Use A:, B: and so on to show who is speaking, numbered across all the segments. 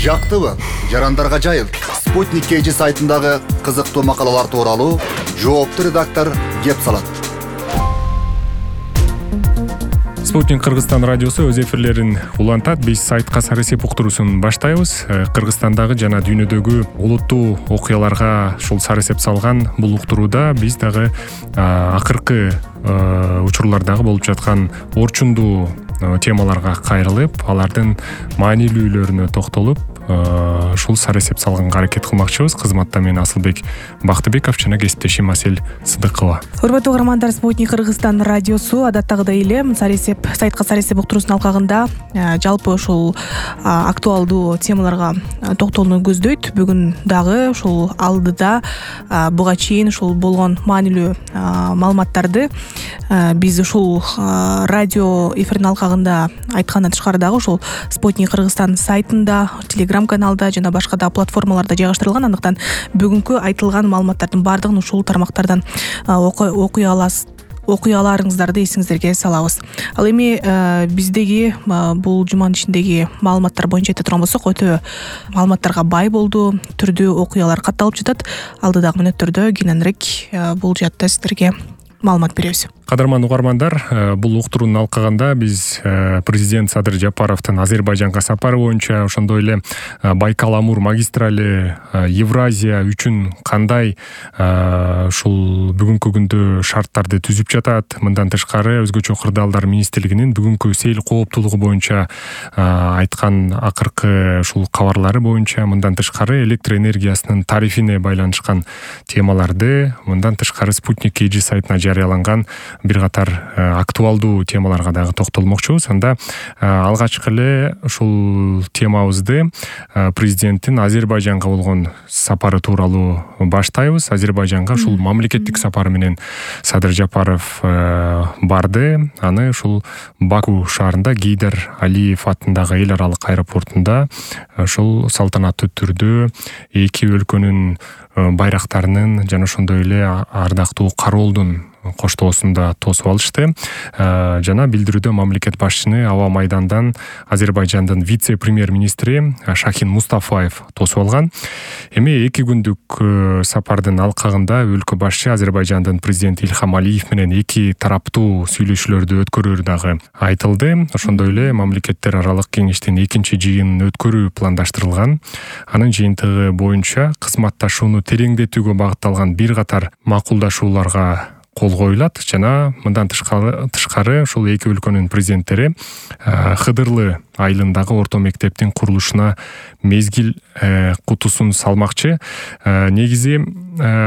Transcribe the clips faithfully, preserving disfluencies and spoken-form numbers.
A: Жактыбы? Жарандарга жайыл. Спутник кей жи сайтындагы кызыктуу макалалар тууралуу жооптуу редактор кеп салат.
B: Спутник Кыргызстан радиосу өз эфирлерин улантат. Биз сайтка Сарысеп уктуруусун баштайбыз. Кыргызстандагы жана дүйнөдөгү олуттуу окуяларга ушул Сарысеп салган бул уктурууда биз дагы акыркы учурлардагы болуп жаткан орчундуу темаларга кайрылып, алардын маанилүүлөрүнө токтолуп, ушул Сарысеп салганга аракет кылмакчыбыз. Кызматта мен Асылбек Бактыбеков жана кесиптешим Асель Сыдыкова.
C: Урматтуу угармандар, Спутник Кыргызстан радиосу адаттагыдай эле Сарысеп сайтка Сарысеп уктуруусун алкагында жалпы ушул актуалдуу темаларга токтолууну көздөйт. Бүгүн дагы ушул алдыда буга чейин ушул болгон маанилүү маалыматтарды биз ушул радио эфирдин алкагында айткандан тышкары дагы ушул Спутник Кыргызстан сайтында, телеграм-каналда жана башка да платформаларда жайгаштырылган. Андыктан бүгүнкү айтылган маалыматтардын баардыгын ушул тармактардан окуй аласыз. окуй аларыңыздарды эсиңиздерге салабыз. Ал эми биздеги бул жуманын ичиндеги маалыматтар боюнча айта турган болсок, өтө маалыматтарга бай болду, түрдүү окуялар катталып жатат. Алдыдагы мүнөттөрдө кененирээк бул жаатта сиздерге маалымат беребиз.
B: Кадырман угармандар, бул уктуруунун алкагында биз президент Садыр Жапаровдун Азербайжанга сапары боюнча, ошондой эле Байкал-Амур магистрали Евразия үчүн кандай ушул бүгүнкү күндө шарттарды түзүп жатат, мындан тышкары өзгөчө кырдаалдар министрлигинин бүгүнкү сейил кооптуулугу боюнча айткан акыркы ушул кабарлары боюнча, мындан тышкары электр энергиясынын тарифине байланышкан темаларды, мындан тышкары Спутник кей жи сайтына жарыяланган бир катар актуалдуу темаларга дагы токтолмокчубуз. Анда алгачкы эле ушул темабызды президенттин Азербайжанга болгон сапары тууралуу баштайбыз. Азербайжанга ушул мамлекеттик сапары менен Садыр Жапаров барды. Аны ушул Баку шаарында Гейдар Алиев атындагы эл аралык аэропортунда ушул салтанаттуу түрдө эки өлкөнүн байрактарынын жана ошондой эле ардактуу кароолдун коштоосунда тосуп алышты. Жана билдирүүдө мамлекет башчыны аба майдандан Азербайжандын вице-премьер-министри Шахин Мустафаев тосуп алган. Эми эки күндүк сапардын алкагында өлкө башчы Азербайжандын президенти Илхам Алиев менен эки тараптуу сүйлөшүүлөрдү өткөрүү дагы айтылды. Ошондой эле мамлекеттер аралык кеңештин экинчи жыйынын өткөрүү пландаштырылган. Анын жыйынтыгы боюнча кызматташууну тереңдетүүгө багытталган бир катар макулдашууларга кол коюлат жана мындан тышкары ушул эки өлкөнүн президенттери Хыдырлы айылындагы орто мектептин курулушуна мезгил кутусун салмакчы. Негизи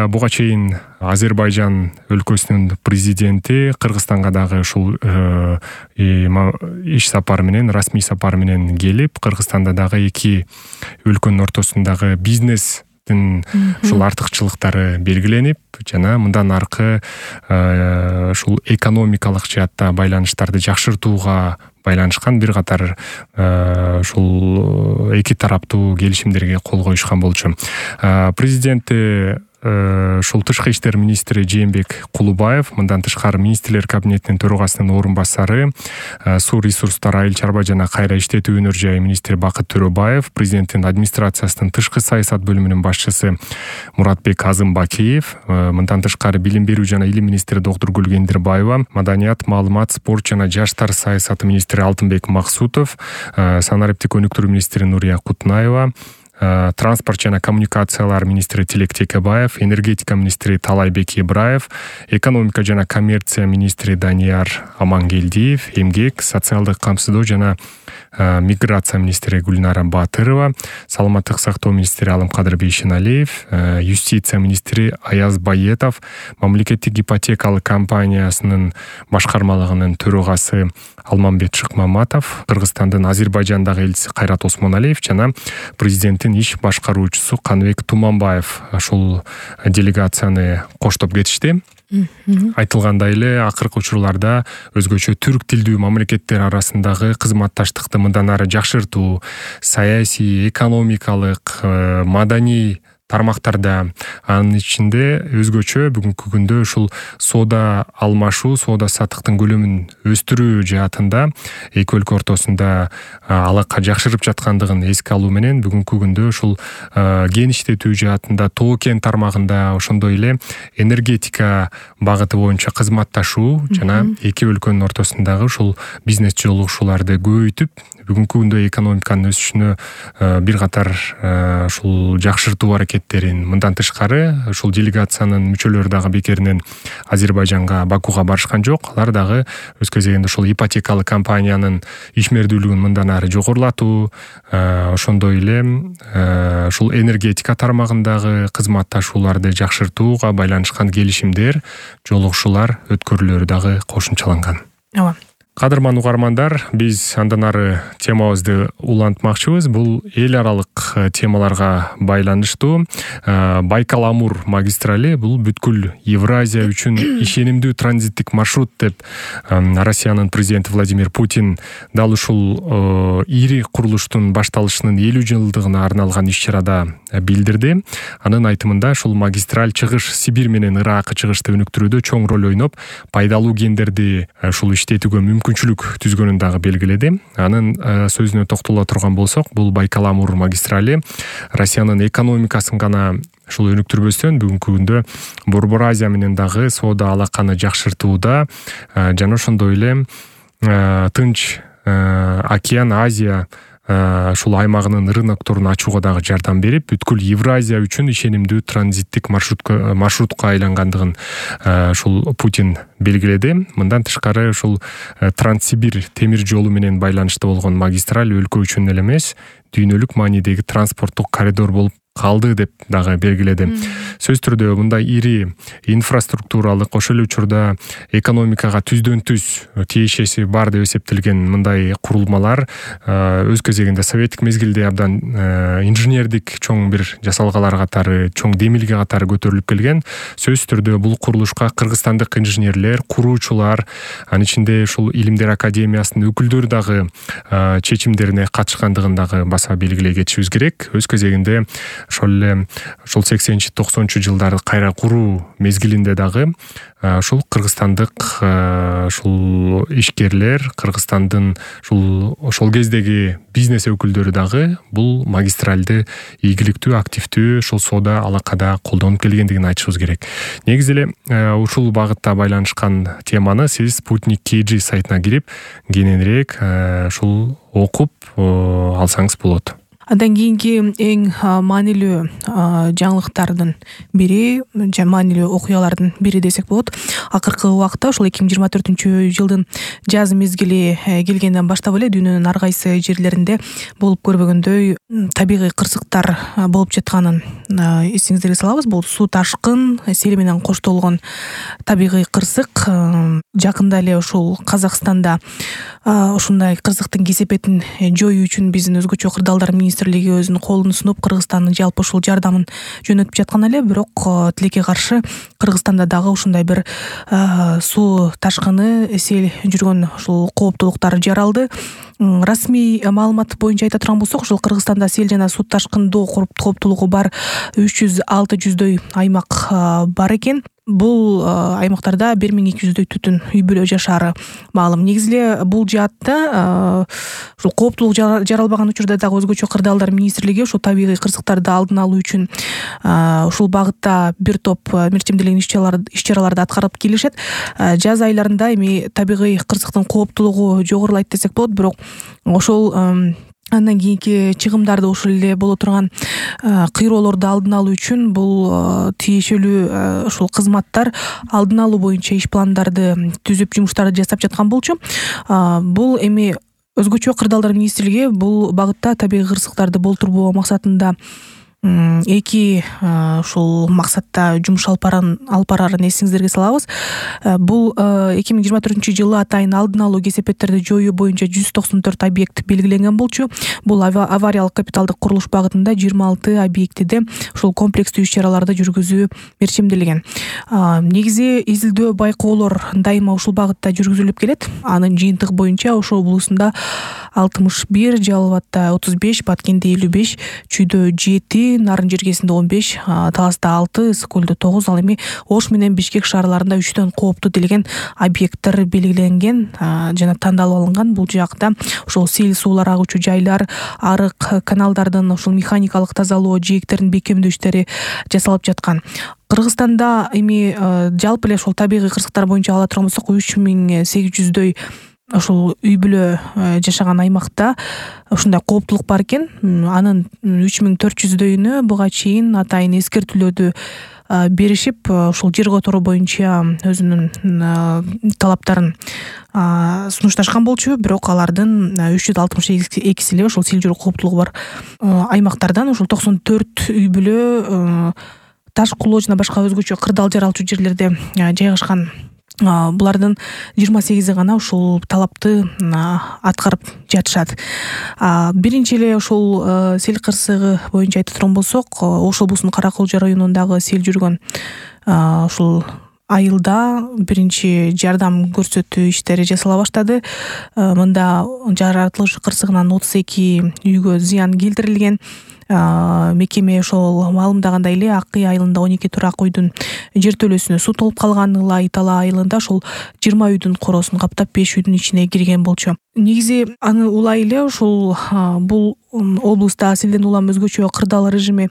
B: буга чейин Азербайжан өлкөсүнүн президенти Кыргызстанга дагы ушул иш сапары менен, расмий сапары менен келип, Кыргызстанда дагы эки өлкөнүн ортосундагы бизнес ушул артыкчылыктары белгиленип, жана мындан аркы ушул экономикалык жаатта байланыштарды жакшыртууга байланышкан бир катар ушул эки тараптуу келишимдерге кол коюшкан болчу. Президенти ушул тышкы иштер министри Жээнбек Кулубаев, мындан тышкары министрлер кабинетинин төрагасынын орун басары, суу ресурстары, айыл чарба жана кайра иштетүү өнөр жайы министри Бакыт Төрөбаев, президенттин администрациясынын тышкы саясат бөлүмүнүн башчысы Муратбек Азымбакиев, мындан тышкары билим берүү жана илим министри доктур Гүлгендирбаева, маданият, маалымат, спорт жана жаштар саясаты министри Алтынбек Максутов, санариптик өнүктүрүү министри Нурия Кутнаева, транспорт жана коммуникациялар министри Тилек Текебаев, энергетика министри Талайбек Ибраев, экономика жана коммерция министри Данияр Амангелдиев, эмгек, социалдык камсыздоо жана миграция министри Гүлнара Батырова, саламаттык сактоо министри Алымкадыр Бейшеналиев, юстиция министри Аяз Баетов, мамлекеттик ипотекалык компаниясынын башкармалыгынын төрагасы Алмамбет Шыкмаматов, Кыргызстандын Азербайжандагы элчиси Кайрат Осмоналиев жана президенттин иш башкаруучусу Канбек Туманбаев ушул делегацияны коштоп кетишти. Айтылгандай эле акыркы учурларда өзгөчө түрк тилдүү мамлекеттер арасындагы кызматташтыкты мындан ары жакшыртуу, саясий, экономикалык, маданий тармактарда. Анын ичинде өзгөчө бүгүнкү күндө ушул соода алмашуу, соода саттыктын көлөмүн өстүрүү жаатында эки өлкө ортосунда алака жакшырып жаткандыгын эске алуу менен бүгүнкү күндө ушул геништетүү жаатында тоо кен тармагында, ошондой эле энергетика багыты боюнча кызматташуу жана эки өлкөнүн ортосундагы ушул бизнес жолугушууларды көбөйтүп, бүгүнкү күндө экономиканын өсүшүнө бир катар ушул жакшыртуу аракеттерин, мындан тышкары ушул делегациянын мүчөлөрү дагы бекеринен Азербайжанга, Бакуга барышкан жок. Алар дагы өз кезегинде ушул ипотекалык компаниянын ишмердүүлүгүн мындан ары жогорулатуу, ошондой эле ушул энергетика тармагындагы кызматташууларды жакшыртууга байланышкан келишимдер, жолугушуулар өткөрүлөрү дагы кошумчаланган.
C: Ооба.
B: Кадырман угармандар, биз андан ары темабызды улантмакчыбыз. Бул эл аралык темаларга байланыштуу. Байкал-Амур магистрали бул бүткүл Евразия үчүн ишенимдүү транзиттик маршрут деп Россиянын президенти Владимир Путин дал ушул ири курулуштун башталышынын элүү жылдыгына арналган иш-чарада билдирди. Анын айтымында ушул магистраль Чыгыш Сибирь менен Ыракы чыгышты өнүктүрүүдө чоң роль ойноп, пайдалуу кендерди ушул иштетүүгө мүмкүнчүлүк түзгөнүн дагы белгиледи. Анын сөзүнө токтоло турган болсок, бул Байкал-Амур магистрали Россиянын экономикасын гана ушул өнүктүрбөстөн бүгүнкү күндө Борбор Азия менен дагы соода алаканы жакшыртууда жана ошондой эле Тынч океан, Азия ушул аймагынын рынокторун ачууга дагы жардам берип, бүткүл Евразия үчүн ишенимдүү транзиттик маршрутка маршрутка айлангандыгын ушул Путин белгиледи. Мындан тышкары ушул Транссибирь темир жолу менен байланышта болгон магистраль өлкө үчүн эле эмес, дүйнөлүк маанидеги транспорттук коридор болуп калды деп дагы белгиледи. Сөз түрдө мындай ири инфраструктуралык, ошол эле учурда экономикага түздөн түз тиешеси бар деп эсептелген мындай курулмалар өз кезегинде советтик мезгилде абдан инженердик чоң бир жасалгалар катары, чоң демилге катары көтөрүлүп келген. Сөз түрдө бул курулушка кыргызстандык инженерлер, куруучулар, анын ичинде ушул Илимдер академиясынын өкүлдөрү дагы чечимдерине катышкандыгын дагы баса белгилей кетишибиз керек. Өз кезегинде ошол эле ошол сексенинчи токсонунчу жылдары кайра куруу мезгилинде дагы ушул кыргызстандык ушул ишкерлер, Кыргызстандын ушул ошол кездеги бизнес өкүлдөрү дагы бул магистралды ийгиликтүү, активдүү ушул соода алакада колдонуп келгендигин айтышыбыз керек. Негизи эле ушул багытта байланышкан теманы сиз Спутник кей джи сайтына кирип кененирээк ушул окуп алсаңыз болот.
C: Андан кийинки эң маанилүү жаңылыктардын бири, маанилүү окуялардын бири десек болот. Акыркы убакта ушул эки миң жыйырма төртүнчү жылдын жаз мезгили келгенден баштап эле дүйнөнүн ар кайсы жерлеринде болуп көрбөгөндөй табигый кырсыктар болуп жатканын эсиңиздерге салабыз. Бул суу ташкын, сел менен коштолгон табигый кырсык. Жакында эле ушул Казакстанда ушундай кырсыктын кесепетин жоюу үчүн биздин өзгөчө кырдаалдар министрлиги өзүнүн колун сунуп Кыргызстандын жалпы ушул жардамын жөнөтүп жаткан эле, бирок тилекке каршы Кыргызстанда дагы ушундай бир суу ташкыны, сел жүргөн ушул кооптулуктар жаралды. Расмий маалымат боюнча айта турган болсок, ушул Кыргызстанда сел жана суу ташкындоо кооптулугу бар үч жүз алты жүздөй аймак бар экен. Бул аймактарда бир миң эки жүздөй түтүн үй бүлө жашаары маалым. Негизи эле бул жаатта ушул кооптулук жаралбаган учурда дагы өзгөчө кырдаалдар министрлиги ушул табигый кырсыктарды алдын алуу үчүн ушул багытта бир топ мерчемделген иш-чараларды аткарып келишет. Жаз айларында эми табигый кырсыктын кооптулугу жогорулайт десек болот, бирок ошол андан кийинки чыгымдарды ушул эле боло турган кыйроолорду алдын алуу үчүн бул тиешелүү ушул кызматтар алдын алуу боюнча иш пландарды түзүп, жумуштарды жасап жаткан болчу. Бул эми өзгөчө кырдаалдар министрлиги бул багытта табигый кырсыктарды болтурбоо максатында эки ушул максатта жумуш алып барарын эсиңиздерге салабыз. Бул эки миң жыйырма төртүнчү жылы атайын алдын алуу, кесепеттерди жоюу боюнча жүз токсон төрт объект белгиленген болчу. Бул авариялык капиталдык курулуш багытында жыйырма алты объектиде ушул комплекстүү иш-чараларды жүргүзүү мерчемделген. Негизи изилдөө, байкоолор дайыма ушул багытта жүргүзүлүп келет. Анын жыйынтыгы боюнча Ош облусунда алтымыш бир, Жалал абадда отуз беш, Баткенде элүү беш, Чүйдө жети, эки, Нарын жергесинде он беш, Таласта алты, Ысык көлдө тогуз, ал эми Ош менен Бишкек шаарларында үчтөн кооптуу делген объекттер белгиленген жана тандалып алынган. Бул жакта ошол сел суулар агуучу жайлар, арык, каналдардын ошол механикалык тазалоо, жээктердин бекемдөө иштери жасалып жаткан. Кыргызстанда эми жалпы эле ошол табигый кырсыктар боюнча ала турган болсок үч миң сегиз жүздөй ошол үй бүлө жашаган аймакта ушундай кооптулук бар экен. Анын үч миң төрт жүздөйүнө буга чейин атайын эскертүүлөрдү беришип, ошол жер которуу боюнча өзүнүн талаптарын сунушташкан болчу. Бирок алардын үч жүз алтымыш экиси эле ошол сел жүрүү кооптулугу бар аймактардан. Ошол токсон төрт үй бүлө Таш кулоо жана башка өзгөчө кырдаал жаралчу жерлерде жайгашкан. Булардын жыйырма сегизи гана ушул талапты аткарып жатышат. Биринчи эле ошол сел кырсыгы боюнча айта турган болсок, Ош облусунун Караколжо районундагы сел жүргөн ушул айылда биринчи жардам көрсөтүү иштери жасала баштады. Мында жаратылыш кырсыгынан отуз эки үйгө зыян келтирилген. Мекеме ошол маалымдагандай эле Ак Кый айылында он эки турак үйдүн жертөлөсүнө суу толуп калган. Ылай Тала айылында ошол жыйырма үйдүн короосун каптап беш үйдүн ичине кирген болчу. Негизи аны улай эле ушул бул облуста селден улам өзгөчө кырдаал режими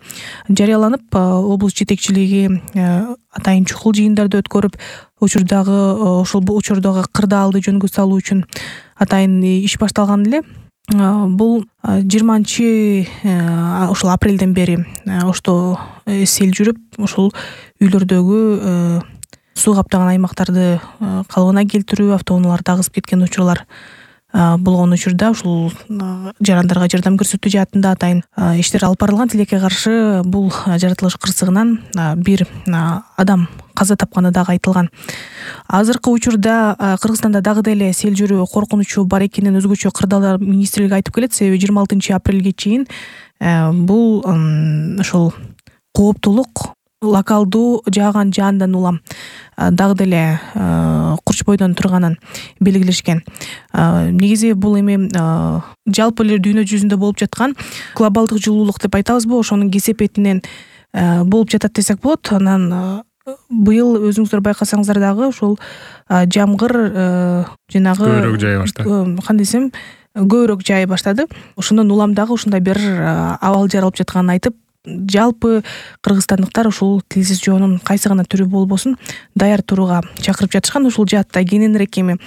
C: жарыяланып, облус жетекчилиги атайын чукул жыйындарды өткөрүп, учурдагы ошол учурдагы кырдаалды жөнгө салуу үчүн атайын иш башталган эле. Бул жыйырманчы ошол апрелден бери Ошто сел жүрүп, ошол үйлөрдөгү суу каптаган аймактарды калыбына келтирүү, автоунааларды агызып кеткен учурлар болгон учурда ушул жарандарга жардам көрсөтүү жаатында атайын иштер алып барылган. Тилекке каршы бул жаратылыш кырсыгынан бир адам каза тапканы дагы айтылган. Азыркы учурда Кыргызстанда дагы деле сел жүрүү коркунучу бар экенин өзгөчө кырдаалдар министрлиги айтып келет. Себеби жыйырма алтынчы апрелге чейин бул ошол кооптулук локалдуу жааган жаандан улам дагы деле курч бойдон турганын белгилешкен. Негизи бул эми жалпы эле дүйнө жүзүндө болуп жаткан глобалдык жылуулук деп айтабызбы, ошонун кесепетинен болуп жатат десек болот. Анан быйыл өзүңүздөр байкасаңыздар дагы ушул жамгыр жанагы
B: көбүрөөк жай баштады.
C: Кандай десем, көбүрөөк жай баштады. Ошондон улам дагы ушундай бир абал жаралып жатканын айтып, жалпы кыргызстандыктар ушул тилсиз жоонун кайсы гана түрү болбосун даяр турууга чакырып жатышкан. Ушул жаатта кененирээк эми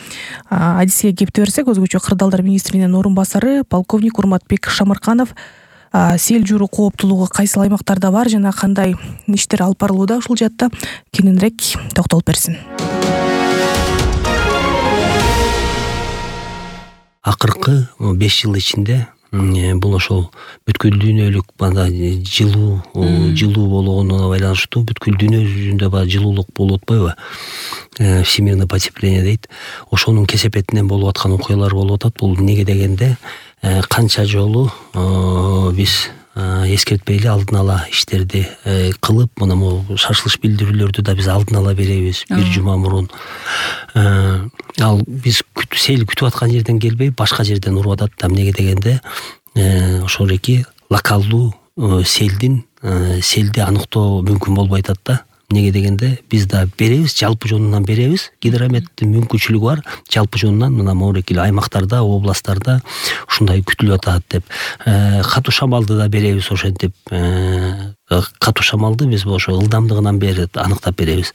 C: адиске кепти берсек, өзгөчө кырдаалдар министринин орун басары полковник Урматбек Шамырканов сел жүрүү кооптулугу кайсы аймактарда бар жана кандай иштер алып барылууда ушул жаатта кененирээк токтолуп берсин.
D: Акыркы беш жыл ичинде бул ошол бүткүл дүйнөлүк бана жылуу жылуу болгонуна байланыштуу бүткүл дүйнө жүзүндө баягы жылуулук болуп атпайбы? Всемирное потепление дейт. Ошонун кесепетинен болуп аткан окуялар болуп атат. Бул неге дегенде канча жолу биз эскертпей эле алдын ала иштерди кылып, мына могу шашылыш билдирүүлөрдү да биз алдын ала беребиз бир жума мурун. Ал биз сел күтүп аткан жерден келбей, башка жерден уруп атат. Эмнеге дегенде ошол эки локалдуу селдин селди аныктоо мүмкүн болбой атат да. Неге дегенде биз да беребиз, жалпы жонунан беребиз. Гидрометтин мүмкүнчүлүгү бар. Жалпы жонунан мына могу аймактарда, областтарда ушундай күтүлүп атат деп. Катуу шамалды да беребиз ошентип. Катуу шамалды биз ошо ылдамдыгынан бери аныктап беребиз.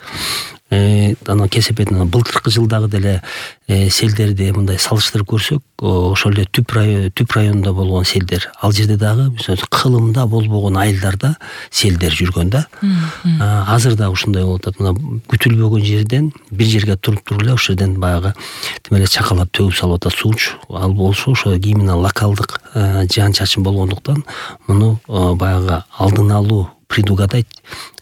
D: Анан кесепетинен былтыркы жылдагы деле селдерди мындай салыштырып көрсөк, ошол эле түп район түп районунда болгон селдер, ал жерде дагы кылымда болбогон айылдарда селдер жүргөн да. Азыр да ушундай болуп атат. Мына күтүлбөгөн жерден бир жерге туруп туруп эле ошол жерден баягы тим эле чакалап төгүп салып атат сууч. Ал болсо ошо именно локалдык жаан чачын болгондуктан муну баягы алдын алуу, предугадать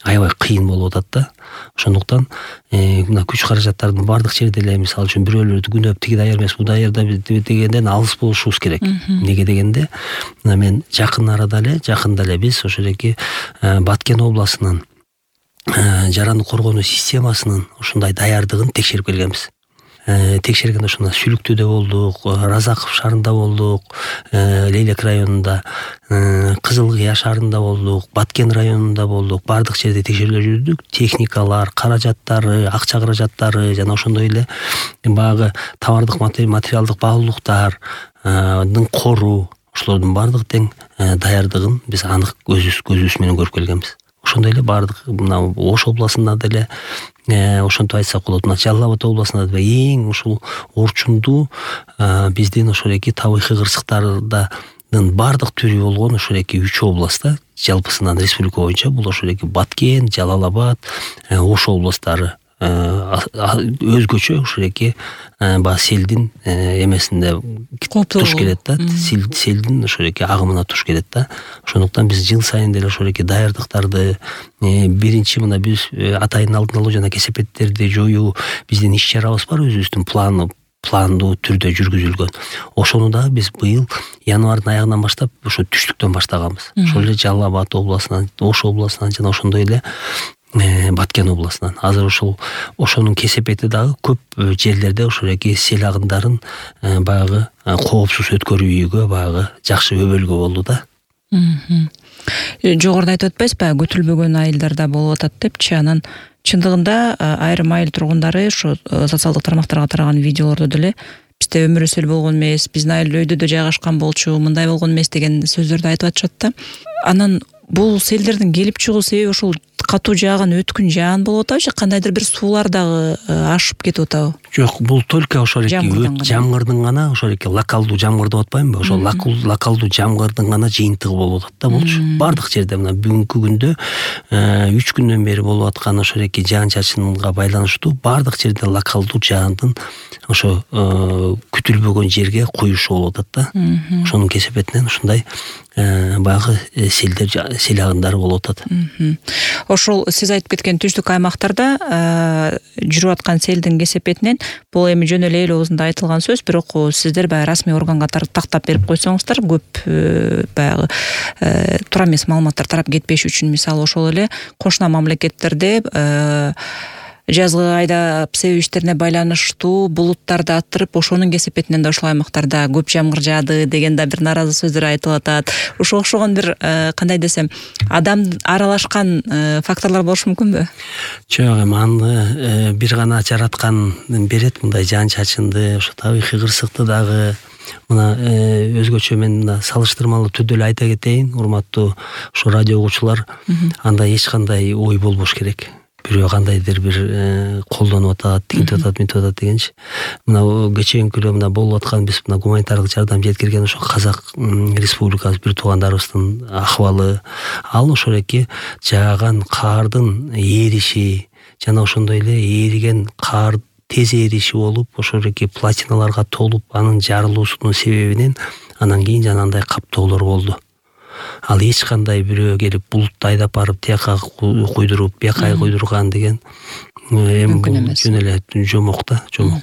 D: аябай кыйын болуп атат да. Ошондуктан мына күч каражаттардын бардык жерде эле мисалы үчүн бирөөлөрдү күнөп тиги даяр эмес, бу даяр дегенден алыс болушубуз керек. Неге дегенде мына мен жакын арада эле жакында эле биз ошол эки Баткен областынын жараны коргонуу системасынын ушундай даярдыгын текшерип келгенбиз. Текшергенде ушундай Сүлүктүүдө болдук, Разаков шаарында болдук, Лейлек районунда, Кызыл Кызыл Кыя шаарында болдук, Баткен районунда болдук, баардык жерде текшерүүлөр жүрдүк. Техникалар, каражаттары, акча каражаттары жана ошондой эле баягы товардык материалдык баалуулуктардын кору, ошолордун баардык тең даярдыгын биз анык көзүбүз көзүбүз менен көрүп келгенбиз. Ошондой эле баардык мына Ош областында деле ошентип айтсак болот. Мына Жалал Абад областында да эң ушул орчундуу биздин ошол эки табигый кырсыктардын баардык түрү болгон ошол эки үч областта жалпысынан республика боюнча бул ошол эки Баткен, Жалал Абад, Ош областтары өзгөчө ошол эки баягы селдин эмесинде туш келет да, селдин ошол эки агымына туш келет да. Ошондуктан биз жыл сайын деле ошол эки даярдыктарды биринчи мына биз атайын алдын алуу жана кесепеттерди жоюу биздин иш чарабыз бар, өзүбүздүн планы пландуу түрдө жүргүзүлгөн. Ошону да биз быйыл январдын аягынан баштап ошо түштүктөн баштаганбыз. Ошол эле Жалал Абад областынан, Ош областынан жана ошондой эле Баткен областынан. Азыр ошол ошонун кесепети дагы көп жерлерде ошол эки сел агымдарын баягы коопсуз өткөрүүгө баягы жакшы өбөлгө болду да.
E: Жогоруда айтып атпайсызбы, күтүлбөгөн айылдарда болуп атат депчи. Анан чындыгында айрым айыл тургундары ошо социалдык тармактарга тараган видеолордо деле бизде өмүр өсөл болгон эмес, биздин айыл өйдөдө жайгашкан болчу, мындай болгон эмес деген сөздөрдү айтып атышат да. Анан бул селдердин келип чыгуу себеби ошол катуу жааган өткүн жаан болуп атабы же кандайдыр бир суулар дагы ашып кетип атабы?
D: Жок, бул только ошол эки жамгырдын гана, ошол эки локалдуу жамгыр деп атпаймынбы? Ошол локалдуу жамгырдын гана жыйынтыгы болуп атат да болчу. Бардык жерде мына бүгүнкү күндө үч күндөн бери болуп аткан ошол эки жаан чачынга байланыштуу бардык жерде локалдуу жаандын ошо күтүлбөгөн жерге куюшу болуп атат да. Ошонун кесепетинен ушундай баягы селдер сел агымдары болуп атат.
E: Ошол сиз айтып кеткен түштүк аймактарда жүрүп аткан селдин кесепетинен бул эми жөн эле эл оозунда айтылган сөз, бирок сиздер баягы расмий органга тактап берип койсоңуздар, көп баягы туура эмес маалыматтар тарап кетпеш үчүн, мисалы ошол эле кошуна мамлекеттерде жазгы айда себебиштерине байланыштуу булуттарды аттырып, ошонун кесепетинен да ошол аймактарда көп жамгыр жаады деген да бир нааразы сөздөр айтылып атат. Ошого окшогон бир кандай десем, адам аралашкан факторлор болушу мүмкүнбү?
D: Жок, эми аны бир гана жараткан берет мындай жаан чачынды, ошо табигый кырсыкты дагы. Мына өзгөчө мен мына салыштырмалуу түрдө эле айта кетейин, урматтуу ошо радио угуучулар, анда эч кандай ой болбош керек. Бирөө кандайдыр бир колдонуп атат, тигинтип атат, мынтип атат дегенчи. Мына кечээинки эле мына болуп аткан биз мына гуманитардык жардам жеткирген ошо Казак Республикасы бир туугандарыбыздын акыбалы, ал ошол эки жааган каардын эриши жана ошондой эле эриген каар тез эриши болуп, ошол эки платиналарга толуп, анын жарылуусунун себебинен анан кийин жанагындай каптоолор болду. Ал эч кандай бирөө келип булутты айдап барып тияка куйдуруп, бияка куйдурган деген эми жөн эле жомок да, жомок.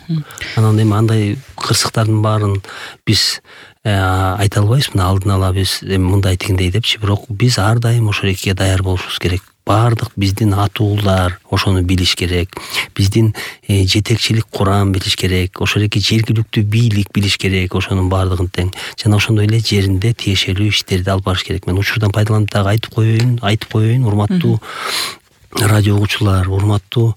D: Анан эми андай кырсыктардын баарын биз айта албайбыз, мына алдын ала биз эми мындай тигиндей депчи, бирок биз ар дайым ошол экиге даяр болушубуз керек. Бардык биздин атуулар ошону билиш керек. Биздин жетекчилик курам билиш керек. Ошол эки жергиликтүү бийлик билиш керек, ошонун бардыгын тең. Жана ошондой эле жеринде тиешелүү иштерди алып барыш керек. Мен учурдан пайдаланып дагы айтып коеюн, айтып коеюн, урматтуу радио угуучулар, урматтуу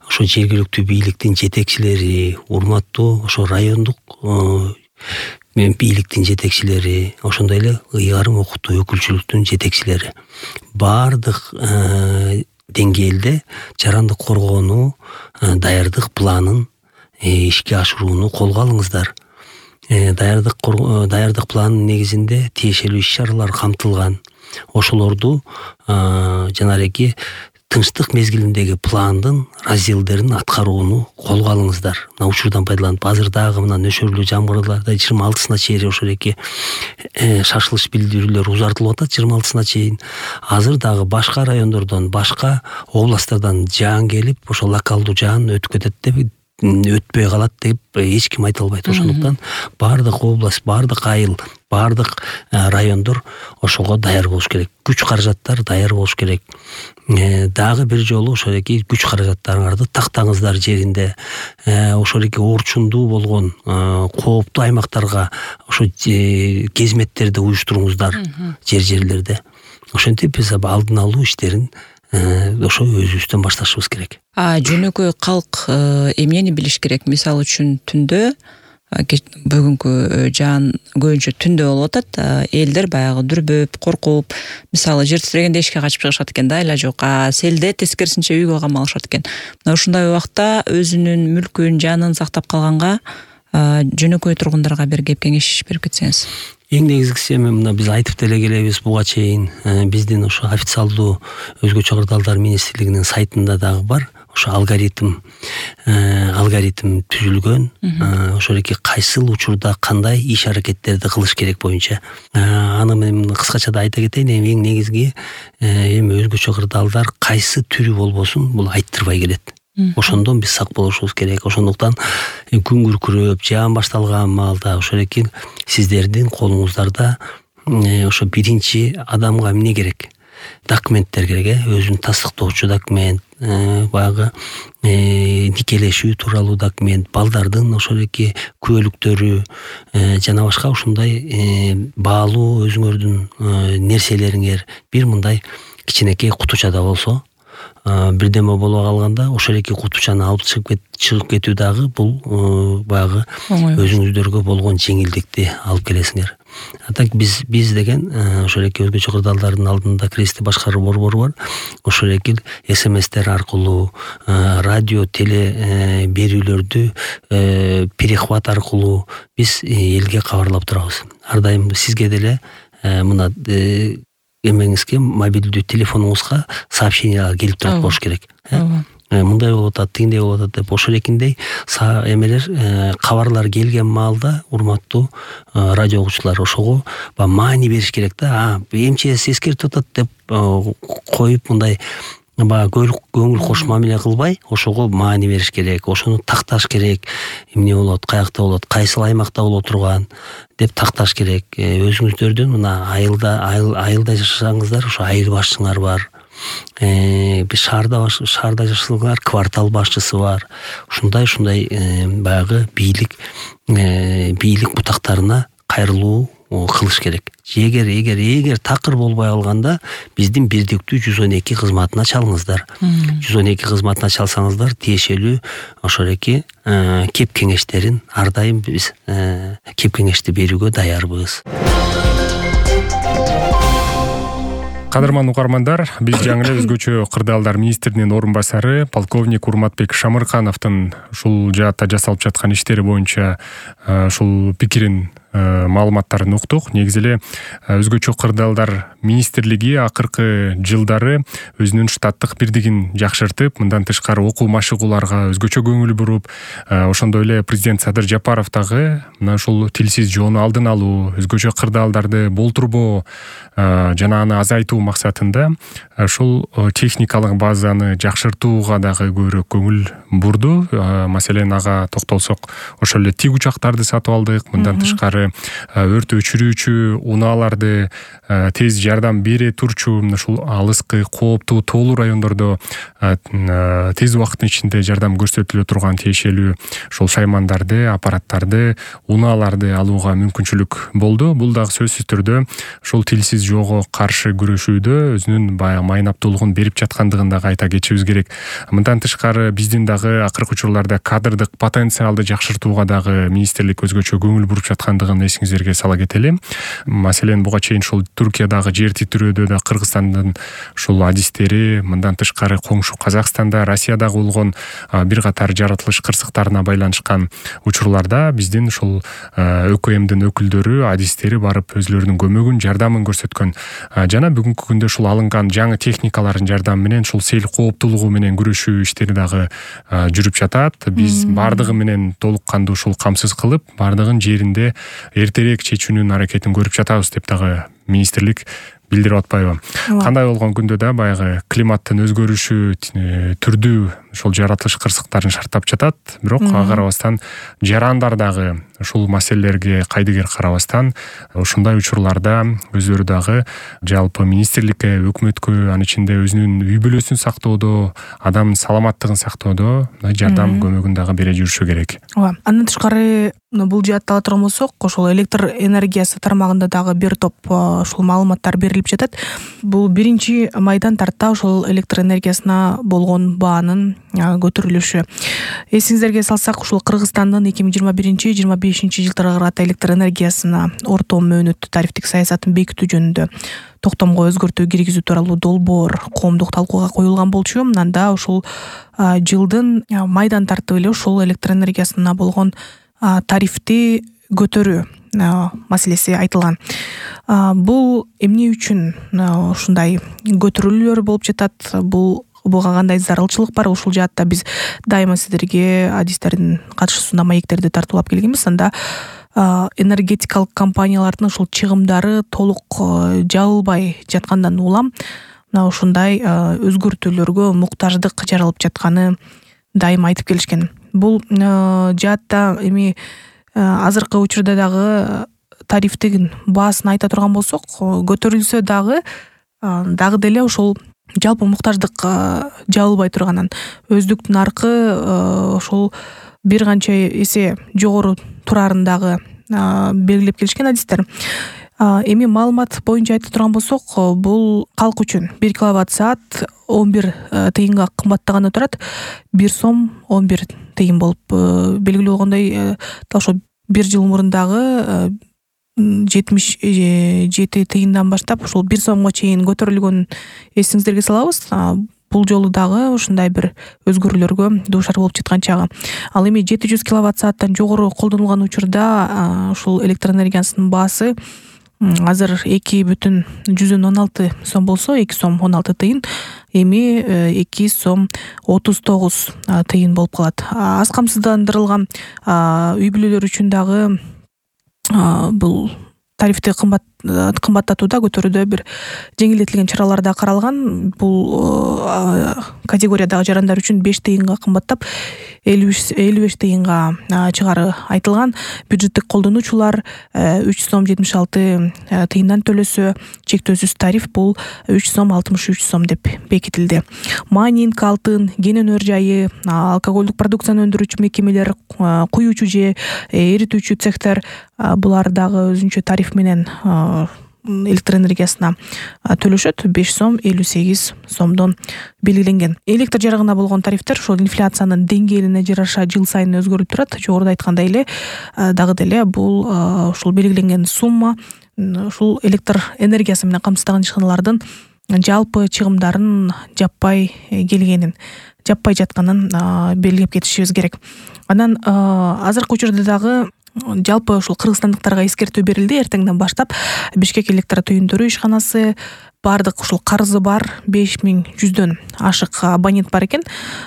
D: ошо жергиликтүү бийликтин жетекчилери, урматтуу ошо райондук мен бийликтин жетекчилери, ошондой эле ыйгарым окутуу өкүлчүлүктүн жетекчилери. Бардык деңгээлде жарандык коргоону даярдык планын ишке ашырууну колго алыңыздар. Даярдык даярдык планынын негизинде тиешелүү иш-чаралар камтылган. Ошолорду жанагы тынчтык мезгилиндеги пландын разделдерин аткарууну колго алыңыздар. Мына учурдан пайдаланып, азыр дагы мына нөшөрлүү жамгырларда жыйырма алтысына чейин ошол эки шашылыш билдирүүлөр узартылып атат, жыйырма алтысына чейин. Азыр дагы башка райондордон, башка областтардан жаан келип, ошо локалдуу жаан өтүп кетет деп өтпөй калат деп эч ким айта албайт. Ошондуктан баардык область, баардык айыл, баардык райондор ошого даяр болуш керек. Күч каражаттар даяр болуш керек. Дагы бир жолу ошол эки күч каражаттарыңарды тактаңыздар жеринде. Ошол эки орчундуу болгон кооптуу аймактарга ошо кезметтерди уюштуруңуздар жер жерлерде. Ошентип биз алдын алуу иштерин ошо өзүбүздөн башташыбыз керек.
E: А жөнөкөй калк эмнени билиш керек? Мисалы үчүн түндө бүгүнкү жаан көбүнчө түндө болуп атат. Элдер баягы дүрбөп, коркуп, мисалы жер титирегенде эшикке качып чыгышат экен да, айла жок. А селде тескерисинче үйгө камалышат экен. Мына ушундай убакта өзүнүн мүлкүн, жанын сактап калганга жөнөкөй тургундарга бир кеп кеңеш берип кетсеңиз.
D: Эң негизгиси эми мына биз айтып деле келебиз буга чейин биздин ошо официалдуу өзгөчө кырдаалдар министрлигинин сайтында дагы бар. Ошо алгоритм алгоритм түзүлгөн. Ошол эки кайсыл учурда кандай иш аракеттерди кылыш керек боюнча. Аны мен кыскача да айта кетейин. Эң негизги эми өзгөчө кырдаалдар кайсы түрү болбосун бул айттырбай келет. Ошондон биз сак болушубуз керек. Ошондуктан күн күркүрөп, жаан башталган маалда ошол эки сиздердин колуңуздарда ошо биринчи адамга эмне керек? Документтер керек, өзүн тастыктоочу документ, баягы никелешүү тууралуу документ, балдардын ошол эки күбөлүктөрү жана башка ушундай баалуу өзүңөрдүн нерселериңер бир мындай кичинекей кутучада болсо, бирдеме боло калганда ошол эки кутучаны алып чыгып чыгып кетүү дагы бул баягы өзүңүздөргө болгон жеңилдикти алып келесиңер. А так биз биз деген ошол эки өзгөчө кырдаалдардын алдында кризисти башкаруу борбору бар. Ошол эки смстер аркылуу, радио, теле берүүлөрдү перехват аркылуу биз элге кабарлап турабыз. Ар дайым сизге деле мына эмеңизге мобилдүү телефонуңузга сообщениялар келип турат болуш керек. Мындай болуп атат, тигиндей болуп атат деп ошол экиндей эмелер кабарлар келген маалда урматтуу радио угуучулар ошого маани бериш керек да. МЧС эскертип атат деп коюп мындай баягы көңүл кош мамиле кылбай ошого маани бериш керек. Ошону такташ керек. Эмне болот, каякта болот, кайсыл аймакта боло турган деп такташ керек. Өзүңүздөрдүн мына айылда айылда жашасаңыздар ошо айыл башчыңар бар. Биз шаарда шаарда жашасаңар квартал башчысы бар. Ушундай ушундай баягы бийлик бийлик бутактарына кайрылуу кылыш керек. Эгер эгер эгер такыр болбой калганда биздин бирдиктүү жүз он эки кызматына чалыңыздар. жүз он эки кызматына чалсаңыздар тиешелүү ошол эки кеп кеңештерин ар дайым биз кеп кеңешти берүүгө даярбыз.
B: Кадырман угармандар, биз жаңы эле өзгөчө кырдаалдар министринин орун басары полковник Урматбек Шамыркановдун ушул жаатта жасалып жаткан иштери боюнча ушул пикирин маалыматтарын уктук. Негизи эле өзгөчө кырдаалдар министрлиги акыркы жылдары өзүнүн штаттык бирдигин жакшыртып, мындан тышкары окуу машыгууларга өзгөчө көңүл буруп, ошондой эле президент Садыр Жапаров дагы мына ушул тилсиз жоону алдын алуу, өзгөчө кырдаалдарды болтурбоо жана аны азайтуу максатында ушул техникалык базаны жакшыртууга дагы көбүрөөк көңүл бурду. Маселен, ага токтолсок, ошол эле тиг учактарды сатып алдык. Мындан тышкары өрт өчүрүүчү унааларды тез жардам бере турчу ушул алыскы, кооптуу, тоолуу райондордо тез убакыттын ичинде жардам көрсөтүлө турган тиешелүү ошол шаймандарды, аппараттарды, унааларды алууга мүмкүнчүлүк болду. Бул дагы сөзсүз түрдө ушул тилсиз жоого каршы күрөшүүдө өзүнүн баягы майнаптуулугун берип жаткандыгын дагы айта кетишибиз керек. Мындан тышкары биздин дагы акыркы учурларда кадрдык потенциалды жакшыртууга дагы министрлик өзгөчө көңүл буруп жаткандыгын эсиңиздерге сала кетели. Маселен, буга чейин ушул Туркиядагы жер титирөөдө да Кыргызстандын ушул адистери, мындан тышкары коңшу Казакстанда, Россиядагы болгон бир катар жаратылыш кырсыктарына байланышкан учурларда биздин ушул ӨКМдин өкүлдөрү, адистери барып өзүлөрүнүн көмөгүн, жардамын көрсөткөн. Жана бүгүнкү күндө ушул алынган жаңы техникалардын жардамы менен ушул сел кооптуулугу менен күрөшүү иштери дагы жүрүп жатат. Биз бардыгы менен толук кандуу ушул камсыз кылып, бардыгын жеринде эртерээк чечүүнүн аракетин көрүп жатабыз деп дагы министрлик билдирип атпайбы? Кандай болгон күндө да баягы климаттын өзгөрүшү түрдүү ошол жаратылыш кырсыктарын шарттап жатат, бирок ага карабастан жарандар дагы ушул маселелерге кайдыгер карабастан ушундай учурларда өздөрү дагы жалпы министрликке, өкмөткө, анын ичинде өзүнүн үй бүлөсүн сактоодо, адамдын саламаттыгын сактоодо жардам көмөгүн дагы бере жүрүшү керек.
C: Ооба. Андан тышкары бул жаатта ала турган болсок, ошол электр энергиясы тармагында дагы бир топ ушул маалыматтар берилип жатат. Бул биринчи майдан тарта ошол электр энергиясына болгон баанын көтөрүлүшү. Эсиңиздерге салсак, ушул Кыргызстандын эки миң жыйырма биринчи жыйырма бешинчи жылдарга карата электр энергиясына орто мөөнөттүү тарифтик саясатын бекитүү жөнүндө токтомго өзгөртүү киргизүү тууралуу долбоор коомдук талкууга коюлган болчу. Анда ушул жылдын майдан тартып эле ушул электр энергиясына болгон тарифти көтөрүү маселеси айтылган. Бул эмне үчүн ушундай көтөрүүлөр болуп жатат? Бул буга кандай зарылчылык бар? Ушул жаатта биз дайыма сиздерге адистердин катышуусунда маектерди тартуулап келгенбиз. Анда энергетикалык компаниялардын ушул чыгымдары толук жабылбай жаткандан улам мына ушундай өзгөртүүлөргө муктаждык жаралып жатканы дайыма айтып келишкен. Бул жаатта эми азыркы учурда дагы тарифтин баасын айта турган болсок, көтөрүлсө дагы дагы деле ошол жалпы муктаждык жабылбай турганын, өздүктүн аркы ошол бир канча эсе жогору турарын дагы белгилеп келишкен адистер. Эми маалымат боюнча айта турган болсок, бул калк үчүн бир киловатт саат он бир тыйынга кымбаттаганы турат. бир сом он бир тыйын болуп белгилүү болгондой, ошо бир жыл мурун дагы жетимиш жети тыйындан баштап ушул бир сомго чейин көтөрүлгөнүн эсиңиздерге салабыз. Бул жолу дагы ушундай бир өзгөрүүлөргө дуушар болуп жаткан чагы. Ал эми жети жүз киловатт сааттан жогору колдонулган учурда ушул электр энергиясынын баасы азыр эки бүтүн жүздөн он алты сом болсо, эки сом он алты тыйын, эми эки сом отуз тогуз тыйын болуп калат. Аз камсыздандырылган үй бүлөлөр үчүн дагы бул тарифти кымбат кымбаттатууда көтөрүүдө бир жеңилдетилген чаралар да каралган. Бул категориядагы жарандар үчүн беш тыйынга кымбаттап элүү беш тыйынга чыгары айтылган. Бюджеттик колдонуучулар үч сом жетимиш алты тыйындан төлөсө, чектөөсүз тариф бул үч сом алтымыш үч сом деп бекитилди. Майнинг, алтын, кен өнөр жайы, алкоголдук продукцияны өндүрүүчү мекемелер, куюучу же эритүүчү цехтер булар дагы өзүнчө тариф менен электр энергиясына төлөшөт. беш сом элүү сегиз сомдон белгиленген. Электр жарыгына болгон тарифтер ошол инфляциянын деңгээлине жараша жыл сайын өзгөрүп турат. Жогоруда айткандай эле дагы деле бул ушул белгиленген сумма ушул электр энергиясы менен камсыздаган ишканалардын жалпы чыгымдарын жаппай келгенин, жаппай жатканын белгилеп кетишибиз керек. Анан азыркы учурда дагы жалпы ушул кыргызстандыктарга эскертүү берилди. Эртеңден баштап Бишкек электр түйүндөрү ишканасы бардык ушул карызы бар беш миң жүздөн ашык абонент бар экен.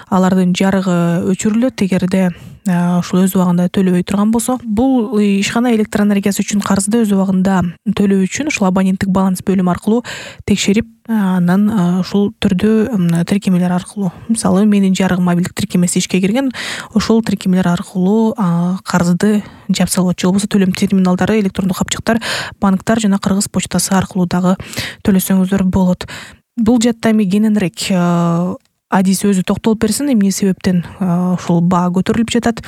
C: Алардын жарыгы өчүрүлөт эгерде ушул өз убагында төлөбөй турган болсо. Бул ишкана электр энергиясы үчүн карызды өз убагында төлөө үчүн ушул абоненттик баланс бөлүм аркылуу текшерип, анан ушул түрдүү тиркемелер аркылуу, мисалы менин жарыгым мобилдик тиркемеси ишке кирген, ошол тиркемелер аркылуу карызды жапса болот. Же болбосо төлөм терминалдары, электрондук капчыктар, банктар жана Кыргыз почтасы аркылуу дагы төлөсөңүздөр болот. Бул жатта эми кененирээк адис өзү токтолуп берсин, эмне себептен ушул баа көтөрүлүп жатат,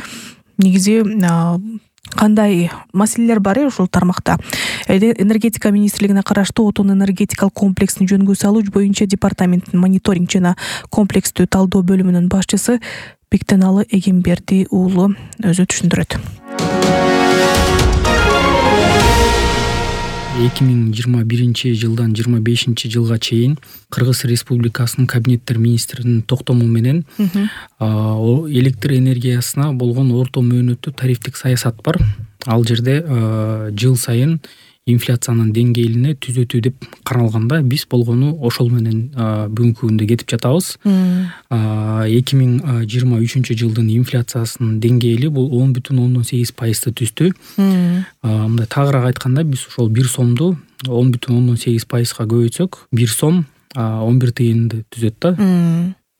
C: негизи кандай маселелер бар ушул тармакта. Энергетика министрлигине караштуу отун энергетикалык комплексин жөнгө салуу боюнча департаменттин мониторинг жана комплекстүү талдоо бөлүмүнүн башчысы Бектеналы Эгемберди уулу өзү түшүндүрөт.
F: эки миң жыйырма биринчи жылдан жыйырма бешинчи жылга чейин Кыргыз Республикасынын кабинеттер министринин токтому менен электр энергиясына болгон орто мөөнөттүү тарифтик саясат бар. Ал жерде жыл сайын инфляциянын деңгээлине түзөтүү деп каралганда биз болгону ошол менен бүгүнкү күндө кетип жатабыз. эки миң жыйырма үчүнчү жылдын инфляциясынын деңгээли бул он бүтүн ондон сегиз пайызды түздү. Мындай тагыраак айтканда биз ошол бир сомду он бүтүн ондон сегиз пайызга көбөйтсөк, бир сом он бир тыйынды түзөт да.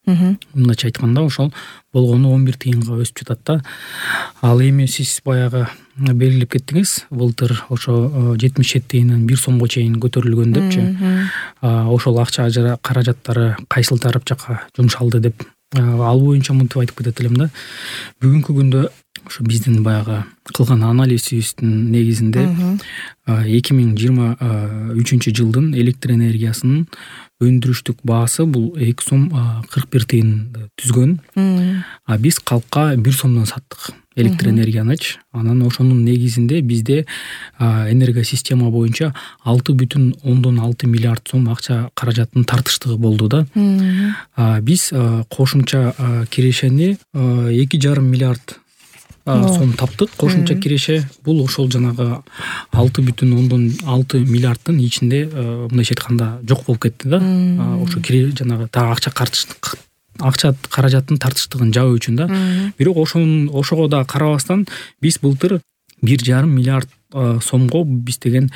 F: Мындайча айтканда ошол болгону он бир тыйынга өсүп жатат да. Ал эми сиз баягы белгилеп кеттиңиз, былтыр ошо жетимиш жети тыйындан бир сомго чейин көтөрүлгөн депчи. Ошол акча каражаттары кайсыл тарап жака жумшалды деп ал боюнча мынтип айтып кетет элем да. Бүгүнкү күндө ошо биздин баягы кылган анализибиздин негизинде эки миң жыйырма үчүнчү жылдын электр энергиясынын өндүрүштүк баасы бул эки сом кырк бир тыйынды түзгөн. А биз калкка бир сомдон саттык электр энергиянычы. Анан ошонун негизинде бизде энергосистема боюнча алты бүтүн ондон алты миллиард сом акча каражаттын тартыштыгы болду да. Биз кошумча кирешени эки жарым миллиард сом таптык. Кошумча киреше бул ошол жанагы алты бүтүн ондон алты миллиарддын ичинде мындайча айтканда жок болуп кетти да. Ошо кире жанагы та акча картыштык акча каражаттын тартыштыгын жабуу үчүн да. Бирок ошонун ошого да карабастан биз былтыр бир жарым миллиард сомго биз деген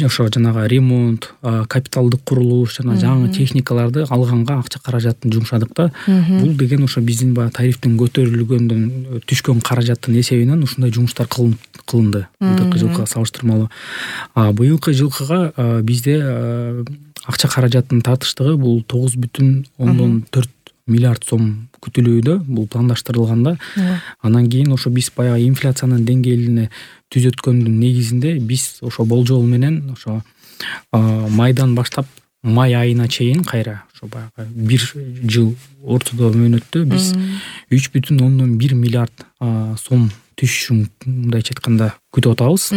F: ошо жанагы ремонт, капиталдык курулуш жана жаңы техникаларды алганга акча каражатын жумшадык да. Бул деген ошо биздин баягы тарифтин көтөрүлгөндөн түшкөн каражаттын эсебинен ушундай жумуштар кылынды былтыркы жылкыга салыштырмалуу. Быйылкы жылкыга бизде акча каражаттын тартыштыгы бул тогуз бүтүн ондон төрт миллиард сом күтүлүүдө, бул пландаштырылган да. Анан кийин ошо биз баягы инфляциянын деңгээлине түзөткөндүн негизинде биз ошо болжол менен ошо майдан баштап май айына чейин кайра ошо баягы бир жыл ортодо мөөнөттө биз үч бүтүн ондон бир миллиард сом түшүшүн мындайча айтканда күтүп атабыз.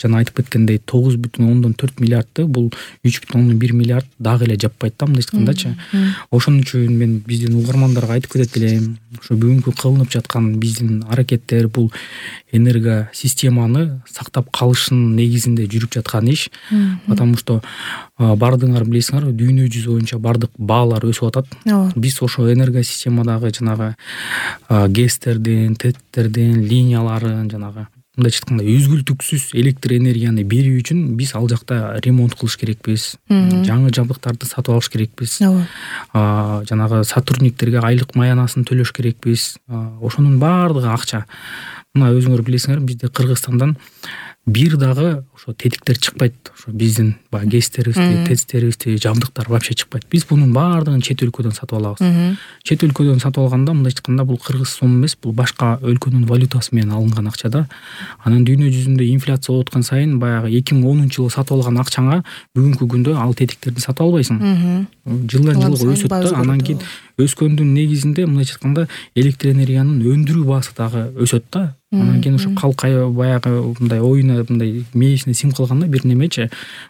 F: Жана айтып кеткендей тогуз бүтүн ондон төрт миллиардды бул үч бүтүн ондон бир миллиард дагы эле жаппайт да мындайча айткандачы. Ошон үчүн мен биздин угармандарга айтып кетет элем, ошо бүгүнкү кылынып жаткан биздин аракеттер бул энергосистеманы сактап калышынын негизинде жүрүп жаткан иш. Потому что бардыгыңар билесиңер, дүйнө жүзү боюнча бардык баалар өсүп атат. Биз ошо энергосистемадагы жанагы гэстердин, теттердин, линияларын жанагы мындайча айтканда үзгүлтүксүз электр энергияны берүү үчүн биз ал жакта ремонт кылыш керекпиз. Жаңы жабдыктарды сатып алыш керекпиз. Жанагы сотрудниктерге айлык маянасын төлөш керекпиз. Ошонун баардыгы акча. Мына өзүңөр билесиңер, бизде Кыргызстандан бир дагы ошо тетиктер чыкпайт. Ошо биздин баягы гэстерибизди, тестерибизди, жабдыктар вообще чыкпайт. Биз бунун баардыгын чет өлкөдөн сатып алабыз. Чет өлкөдөн сатып алганда мындайча айтканда бул кыргыз сом эмес, бул башка өлкөнүн валютасы менен алынган акча да. Анан дүйнө жүзүндө инфляция болуп аткан сайын баягы эки миң онунчу жылы сатып алган акчаңа бүгүнкү күндө ал тетиктерди сатып албайсың. Жылдан жылга өсөт да. Анан кийин өскөндүн негизинде мындайча айтканда электр энергиянын өндүрүү баасы дагы өсөт да. Анан кийин ошо калкай баягы мындай оюна мындай мээсине сиңип калганда бир немечи,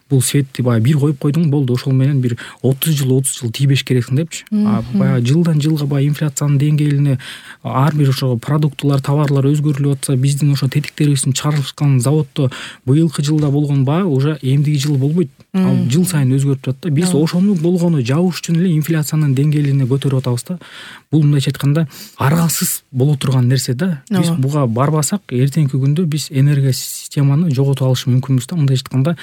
F: бул светти баягы бир коюп койдуң, болду, ошол менен бир отуз жыл отуз жыл тийбеш керексиң депчи. Баягы жылдан жылга баягы инфляциянын деңгээлине ар бир ошо продуктулар, товарлар өзгөрүлүп атса, биздин ошо тетиктерибиздин чыгарылышкан заводдо быйылкы жылда болгон баа уже эмдиги жыл болбойт. Ал жыл сайын өзгөрүп турат да. Биз ошону болгону жабыш үчүн эле инфляциянын деңгээлине көтөрүп атабыз да. Бул мындайча айтканда аралсыз боло турган нерсе да. Биз буга барбасак, эртеңки күндө биз энергосистеманы жоготуп алышы мүмкүнбүз да. Мындайча айтканда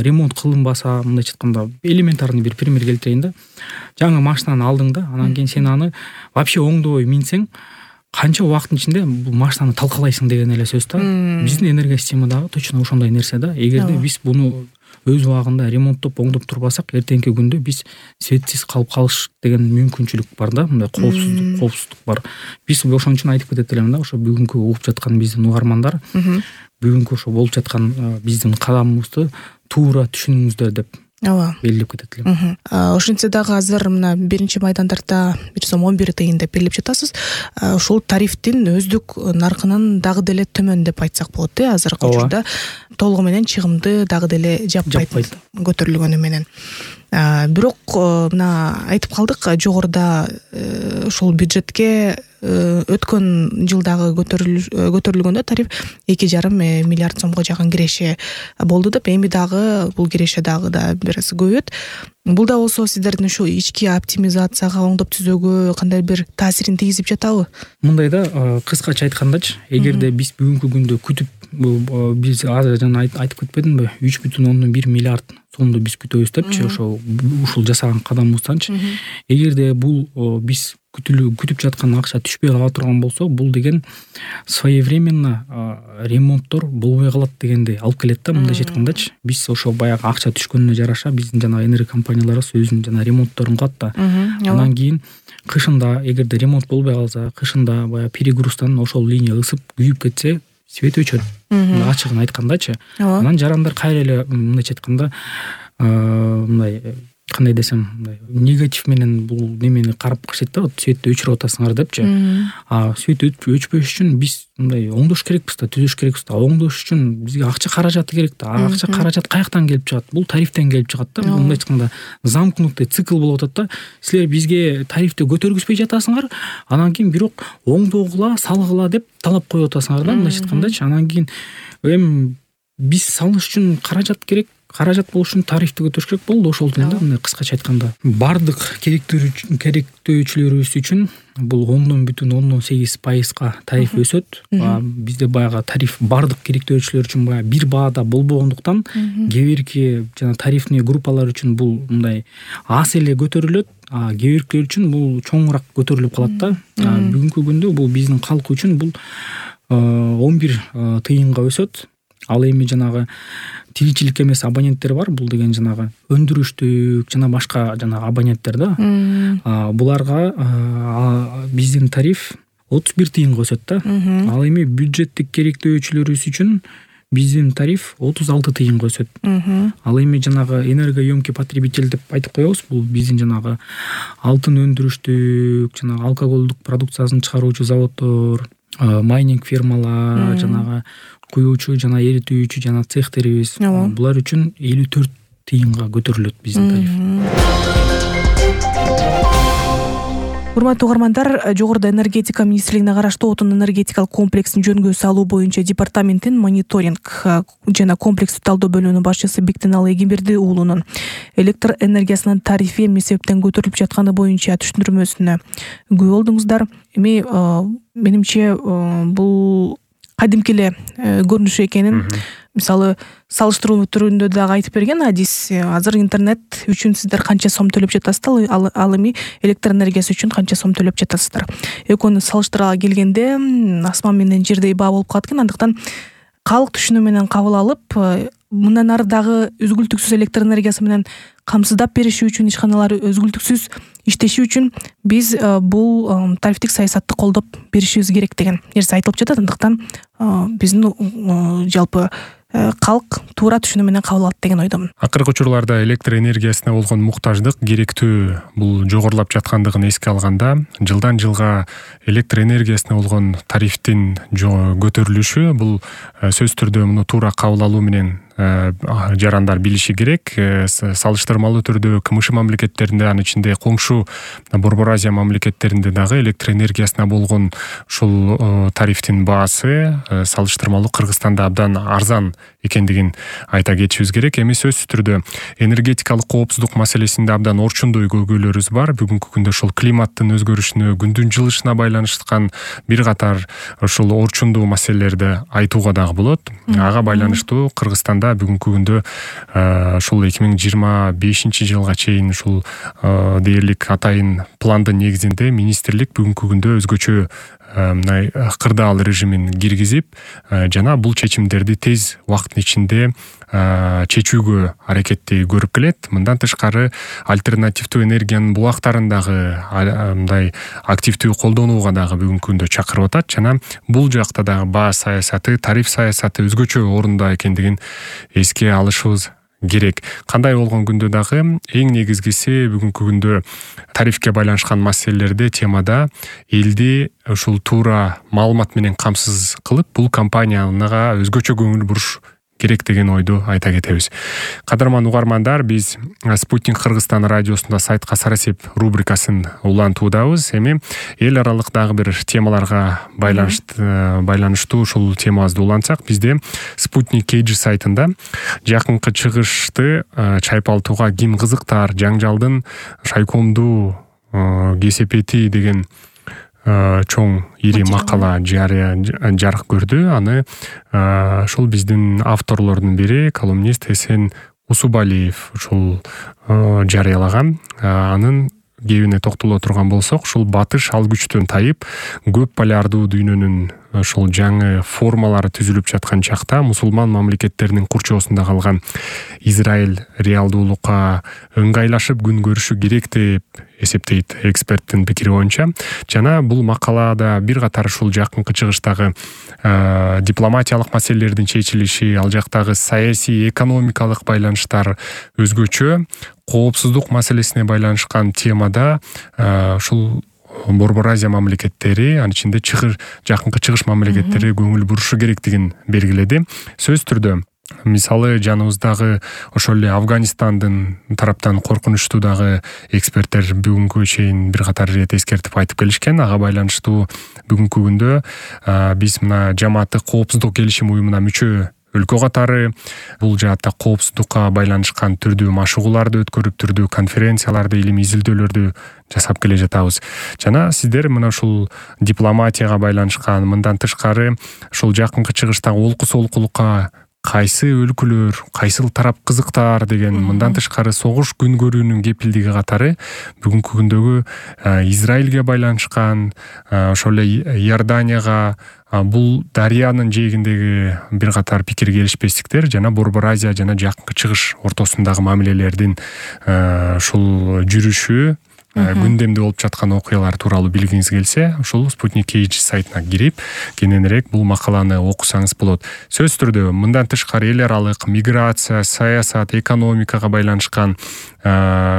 F: ремонт кылынбаса, мындайча айтканда элементарный бир пример келтирейин да. Жаңы машинаны алдың да, анан кийин сен аны вообще оңдобой минсең, канча убакыттын ичинде бул машинаны талкалайсың деген эле сөз да. Биздин энергосистемадагы точно ошондой нерсе да. Эгерде биз буну өз убагында ремонттоп, оңдоп турбасак, эртеңки күндө биз светсиз калып калыш деген мүмкүнчүлүк бар да, мындай коопсуздук, коопсуздук бар. Биз ошон үчүн айтып кетет элем да, ошо бүгүнкү угуп жаткан биздин угармандар, бүгүнкү ошо болуп жаткан биздин кадамыбызды туура түшүнүңүздөр деп ооба белгилеп кетет элем.
C: Ошентсе дагы азыр мына биринчи майдандарда бир сом он бир тыйын деп белгилеп жатасыз. Ушул тарифтин өздүк наркынан дагы деле төмөн деп айтсак болот э, азыркы учурда толугу менен чыгымды дагы деле жаппайт көтөрүлгөнү менен. Бирок мына айтып калдык, жогоруда ушул бюджетке өткөн жылдагы көтөрүлгөндө тариф эки жарым миллиард сомго жакын киреше болду деп, эми дагы бул киреше дагы да бир аз көбөйөт. Бул да болсо сиздердин ушу ички оптимизацияга, оңдоп түзүүгө кандай бир таасирин тийгизип жатабы?
F: Мындай да, кыскача айткандачы, эгерде биз бүгүнкү күндө күтүп, биз азыр жана айтып кетпедимби, үч бүтүн ондон бир миллиард сомду биз күтөбүз депчи, ошо ушул жасаган кадамыбызданчы. Эгерде бул биз күтүп жаткан акча түшпөй кала турган болсо, бул деген своевременно ремонттор болбой калат дегенди алып келет да. Мындайча айткандачы, биз ошо баягы акча түшкөнүнө жараша биздин жана энерго компанияларыбыз өзүнүн жана ремонтторун кылат да. Анан кийин кышында эгерде ремонт болбой калса, кышында баягы перегруздан ошол линия ысып күйүп кетсе, свет өчөт. Ачыгын айткандачы. Анан жарандар кайра эле мындайча айтканда мындай кандай десем, негатив менен бул немени карап кашет да, светти өчүрүп атасыңар депчи. А свет өчпөш үчүн биз мындай оңдош керекпиз да, түзөш керекпиз да. Оңдош үчүн бизге акча каражаты керек да. Акча каражат каяктан келип чыгат? Бул тарифтен келип чыгат да. Мындай айтканда замкнутый цикл болуп атат да. Силер бизге тарифти көтөргүзбөй жатасыңар, анан кийин бирок оңдогула, салгыла деп талап коюп атасыңар да, мындайча айткандачы. Анан кийин эми биз салыш үчүн каражат керек. Каражат болуш үчүн тарифти көтөрүш керек болду, ошол да, мындай кыскача айтканда. Бардык керектөөчүлөрүбүз үчүн бул ондон бүтүн ондон сегиз пайызга тариф өсөт. Бизде баягы тариф бардык керектөөчүлөр үчүн баягы бир баада болбогондуктан, кээ бирки жана тарифный группалар үчүн бул мындай аз эле көтөрүлөт, а кээ биркилер үчүн бул чоңураак көтөрүлүп калат да. Бүгүнкү күндө бул биздин калк үчүн бул он бир тыйынга өсөт. Ал эми жанагы тиричилик эмес абоненттер бар, бул деген жанагы өндүрүштүк жана башка жанагы абоненттер да. Буларга биздин тариф отуз бир тыйынга өсөт да. Ал эми бюджеттик керектөөчүлөрүбүз үчүн биздин тариф отуз алты тыйынга өсөт. Ал эми жанагы энергоемкий потребитель деп айтып коебуз, бул биздин жанагы алтын өндүрүштүк, жанагы алкоголдук продукциясын чыгаруучу заводдор, майнинг фирмалар, жанагы куюучу жана эритүүчү жана цехтерибиз, булар үчүн элүү төрт тыйынга көтөрүлөт биздин тариф.
C: Урматтуу угармандар, Жогоруда энергетика министрлигине караштуу отун энергетикалык комплексин жөнгө салуу боюнча департаменттин мониторинг жана комплекстик талдоо бөлүмүнүн башчысы Биктенал Эгемберди уулунун электр энергиясынын тарифи эмне себептен көтөрүлүп жатканы боюнча түшүндүрмөсүнө күбө болдуңуздар. Эми менимче бул кадимки эле көрүнүш экенин, мисалы салыштыруу түрүндө дагы айтып берген Адис. Азыр интернет үчүн сиздер канча сом төлөп жатасыздар, ал эми электр энергиясы үчүн канча сом төлөп жатасыздар. Экөөнү салыштыра келгенде асман менен жердей баа болуп калат экен. Андыктан калк түшүнүү менен кабыл алып, мындан ары дагы үзгүлтүксүз электр энергиясы менен камсыздап бериши үчүн, ишканалар өзгүлтүксүз иштеши үчүн биз бул тарифтик саясатты колдоп беришибиз керек деген нерсе айтылып жатат. Андыктан биздин жалпы калк туура түшүнүү менен кабыл алат деген ойдомун.
B: Акыркы учурларда электр энергиясына болгон муктаждык, керектүү бул жогорулап жаткандыгын эске алганда, жылдан жылга электр энергиясына болгон тарифтин көтөрүлүшү бул сөзсүз түрдө муну туура кабыл алуу менен жарандар билиши керек. Салыштырмалуу түрдө КМШ мамлекеттеринде, анын ичинде коңшу Борбор Азия мамлекеттеринде дагы электр энергиясына болгон ушул тарифтин баасы салыштырмалуу Кыргызстанда абдан арзан экендигин айта кетишибиз керек. Эми сөзсүз түрдө энергетикалык коопсуздук маселесинде абдан орчундой көйгөйлөрүбүз бар. Бүгүнкү күндө ушул климаттын өзгөрүшүнө, күндүн жылышына байланышкан бир катар ушул орчундуу маселелерди айтууга дагы болот. Ага байланыштуу Кыргызстанда бүгүнкү күндө ушул эки миң жыйырма бешинчи жылга чейин ушул дээрлик атайын пландын негизинде министрлик бүгүнкү күндө өзгөчө мындай кырдаал режимин киргизип, жана бул чечимдерди тез убакыттын ичинде чечүүгө аракетти көрүп келет. Мындан тышкары альтернативдүү энергиянын булактарын дагы мындай активдүү колдонууга дагы бүгүнкү күндө чакырып атат, жана бул жакта дагы баа саясаты, тариф саясаты өзгөчө орунда экендигин эске алышыбыз керек. Кандай болгон күндө дагы эң негизгиси бүгүнкү күндө тарифке байланышкан маселелерде, темада элди ушул туура маалымат менен камсыз кылып, бул компанияга өзгөчө көңүл буруш керек деген ойду айта кетебиз. Кадырман угармандар, биз Спутник Кыргызстан радиосунда сайтка сарасеп рубрикасын улантуудабыз. Эми эл аралык дагы бир темаларга байланыштуу байланыштуу ушул темабызды улантсак, бизде Спутник кей джи сайтында жакынкы чыгышты чайпалтууга ким кызыктар, жаңжалдын шайкомдуу кесепети деген чоң ири макала жарыя жарык көрдү. Аны ушул биздин авторлордун бири, колумнист Эсен Усубалиев ушул жарыялаган. Анын кебине токтоло турган болсок, ушул батыш ал күчтөн тайып, көп полярдуу дүйнөнүн ошол жаңы формалары түзүлүп жаткан чакта мусулман мамлекеттеринин курчоосунда калган Израиль реалдуулукка ыңгайлашып күн көрүшү керек деп эсептейт эксперттин пикири боюнча. Жана бул макалада бир катар ушул жакынкы чыгыштагы э, дипломатиялык маселелердин чечилиши, ал жактагы саясий, экономикалык байланыштар өзгөчө, коопсуздук маселесине байланышкан темада ушул э, Борбор Азия мамлекеттери, анын ичинде чыгыр жакынкы чыгыш мамлекеттери көңүл бурушу керектигин белгиледи. Сөз түрдө, мисалы жаныбыздагы ошол эле Афганистандын тараптан коркунучтуу дагы эксперттер бүгүнкү чейин бир катар ирет эскертип айтып келишкен. Ага байланыштуу бүгүнкү күндө биз мына жамааттык коопсуздук келишим уюмуна мүчө өлкө катары бул жаатта коопсуздукка байланышкан түрдүү машыгууларды өткөрүп, түрдүү конференцияларды, илимий изилдөөлөрдү жасап келе жатабыз. Жана сиздер мына ушул дипломатияга байланышкан, мындан тышкары ушул жакынкы чыгыштагы олку солкулукка кайсы өлкөлөр, кайсыл тарап кызыктар деген, мындан тышкары согуш күн көрүүнүн кепилдиги катары бүгүнкү күндөгү Израилге байланышкан, ошол эле Иорданияга, бул дарыянын жээгиндеги бир катар пикир келишпестиктер жана Борбор Азия жана жакынкы чыгыш ортосундагы мамилелердин ушул жүрүшү, күндемде болуп жаткан окуялар тууралуу билгиңиз келсе, ушул Спутник кей джи сайтына кирип, кененирээк бул макаланы окусаңыз болот. Сөз түрдө, мындан тышкары эл аралык миграция, саясат, экономикага байланышкан,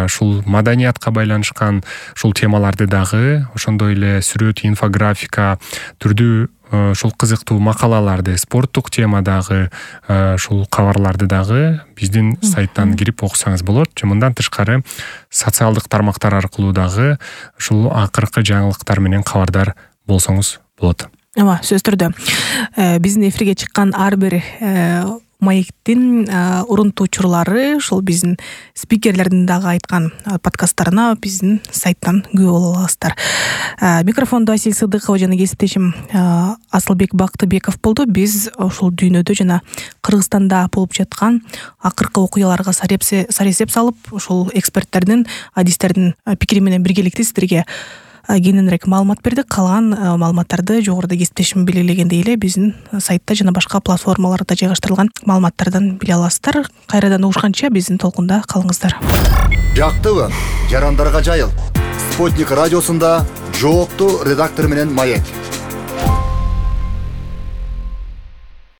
B: ушул маданиятка байланышкан ушул темаларды дагы, ошондой эле сүрөт, инфографика, түрдүү ушул кызыктуу макалаларды, спорттук темадагы ушул кабарларды дагы биздин сайттан кирип окусаңыз болот. Мындан тышкары социалдык тармактар аркылуу дагы ушул акыркы жаңылыктар менен кабардар болсоңуз болот.
C: Ооба, сөз түрдө биздин эфирге чыккан ар бир маектин урунтуучулары ушул биздин спикерлердин дагы айткан подкасттарына биздин сайттан күбө боло аласыздар. Микрофондо Асил Сыдыкова жана кесиптешим Асылбек Бактыбеков болду. Биз ушул дүйнөдө жана Кыргызстанда болуп жаткан акыркы окуяларга саресеп салып, ушул эксперттердин, адистердин пикири менен биргеликте сиздерге кененирээк маалымат бердик. Калган маалыматтарды жогоруда кесиптешим белгилегендей эле биздин сайтта жана башка платформаларда жайгаштырылган маалыматтардан биле аласыздар. Кайрадан угушканча биздин толкунда калыңыздар.
A: Жактыбы, жарандарга жайыл. Спутник радиосунда жооптуу редактор менен Маек.